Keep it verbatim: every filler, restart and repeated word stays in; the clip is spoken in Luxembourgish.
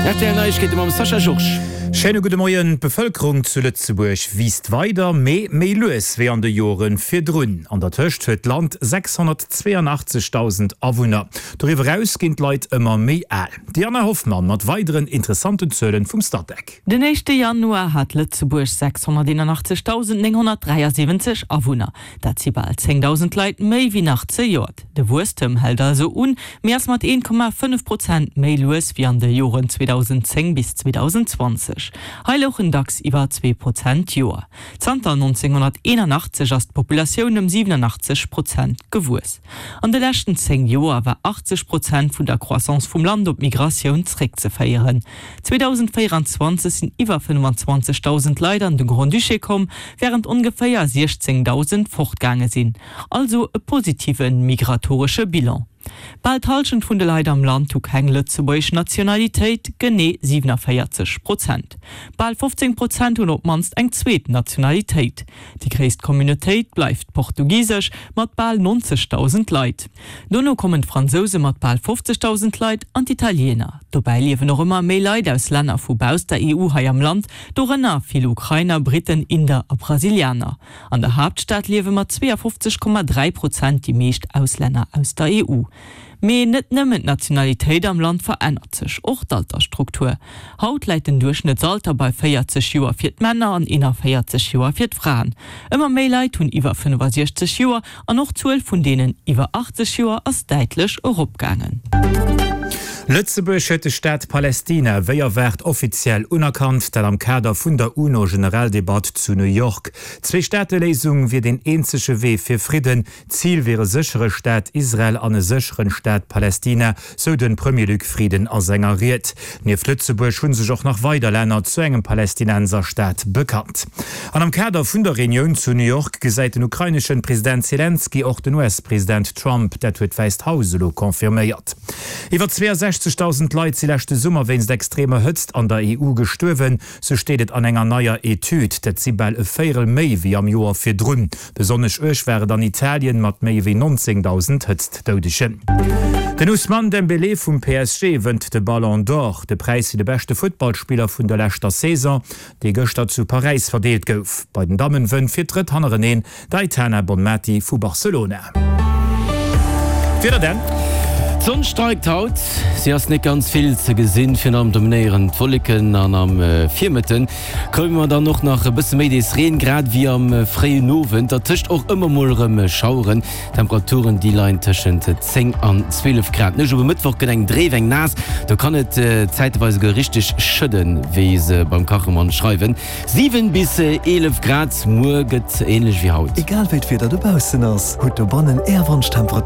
R T L Neiegkeete mam Sascha Georges. Schéine gudde Moien. D'Bevëlkerung zu Lëtzebuerg wiisst weider, mee méi lues wéi an de Jore virdrun. An der Tëscht huet d'Land sechshonnertzweeanachtzegdausend Awunner. Doriwwer eraus ginn d'Leit ëmmer méi al. D'Diana Hoffmann mat weideren interessanten Zuelen vum Statec. Den éischte Januar hat Lëtzebuerg sechshonnerteenachtzegdausendnénghonnertdräiasiwwenzeg Awunner. Dat si bal zéngdausend Leit méi wéi nach zejoert. De Wuesstem hält also un, mee ass mat een Komma fënnef Prozent méi lues wéi an de Joren zweedausendzéng bis zweedausendzwanzeg. Hei louchen dacks iwwer zwee Prozent d'Joer. Zanter nonzénghonnerteenachtzeg ass d'Populatioun ëm siwenanachtzeg Prozent gewuess. An de leschten zéng Joer war achtzeg Prozent vun der Croissance vum Land op d'Migratioun zréckzeféieren. zweedausendvéieranzwanzeg sinn iwwer fënnefanzwanzegdausend Leit an de Grand-Duché komm, wärend ongeféier siechzéngdausend fortgaange sinn. Also e positive migratoresche Bilan. Bal d'Hallschent vun de Leit am Land hu keng lëtzebuergesch Nationalitéit, genee siewenanvéierzeg Prozent. Bal fofzéng Prozent hunn op d'mannst eng zweet Nationalitéit. Déi gréisst Communautéit bleift d'portugisesch mat bal nonzegdausend Leit. Dono kommen d'Fransouse mat bal fofzegdausend Leit an d'Italiener. Dobäi liewen och ëmmer méi Leit aus Länner vu bausst der E U hei am Land, dorënner vill Ukrainer, Britten, Inder a Brasilianer. An der Haaptstad liewe mat zweeafofzeg Komma dräi Prozent déi meescht Auslänner aus der E U. Mee net nëmmen d'Nationalitéit am Land verännert sech, och d'Altersstruktur. Haut läit den Duerchschnëttsalter bei véierzeg Joer fir d'Männer an eenanvéierzeg Joer fir d'Fraen. Ëmmer méi Leit hunn iwwer fënnefasiechzeg Joer an och d'Zuel vun deenen iwwer achtzeg Joer ass däitlech eropgaangen. Lëtzebuerg huet de Staat Palästina wéi erwaart offiziell unerkannt, dat am Kader vun der UNO-Generaldebatt zu New York. D'Zwee-Staate-Léisung wier deen eenzege Wee fir Fridden. D'Zil wier e séchere Staat Israel an e sécheren Staat Palästina, sou de Premier Luc Frieden a senger Ried. Nieft Lëtzebuerg hu sech och nach weider Länner zu engem Palästinenserstaat bekannt. An am Kader vun der Reunioun zu New York gesäit den ukraineschen President Selenskyj och den U S-President Trump, dat huet d'Wäisst Haus elo confirméiert. Iwwer zweeasechzegdausend Leit si leschte Summer wéinst extremer Hëtzt an der E U gestuerwen, sou steet et an enger neier Etüd. Dat si bal e Véierel méi wéi am Joer virdrun. Besonnesch uerg war et an Italien mat méi wéi nonzéngdausend Hëtztdoudegen. Den Ousmane Dembélé vum P S G wënnt de Ballon d'Or, de Präis fir de beschte Futtballspiller vun der leschter Saison, dee gëschter zu Paräis verdeelt gouf. Bei den Dammen wënnt fir d'drëtt hannereneen d'Aitana Bonmati vu Barcelona. Wieder dann. D'Sonn streikt haut, si ass net ganz vill ze gesinn. Virun allem dominéieren d'Wolleken an am Virmëtte kréie mer dann och nach e bësse méi dees Reen, grad ewéi am fréien Owend. Dertëscht och ëmmer mol erëm Schaueren. D'Temperaturen déi leien tëschent zéng an zwielef Grad. D'Nuecht op e Mëttwoch gëtt eng dréif, eng naass, do kann et zäiteweis esouguer richteg schëdden, wéi se beim Kachemann schreiwen. Siwen bis eelef Grad, muer gëtt änlech wéi haut. Egal wéi d'Wieder dobaussen ass, hutt dobannen Är Wanschtemperatur.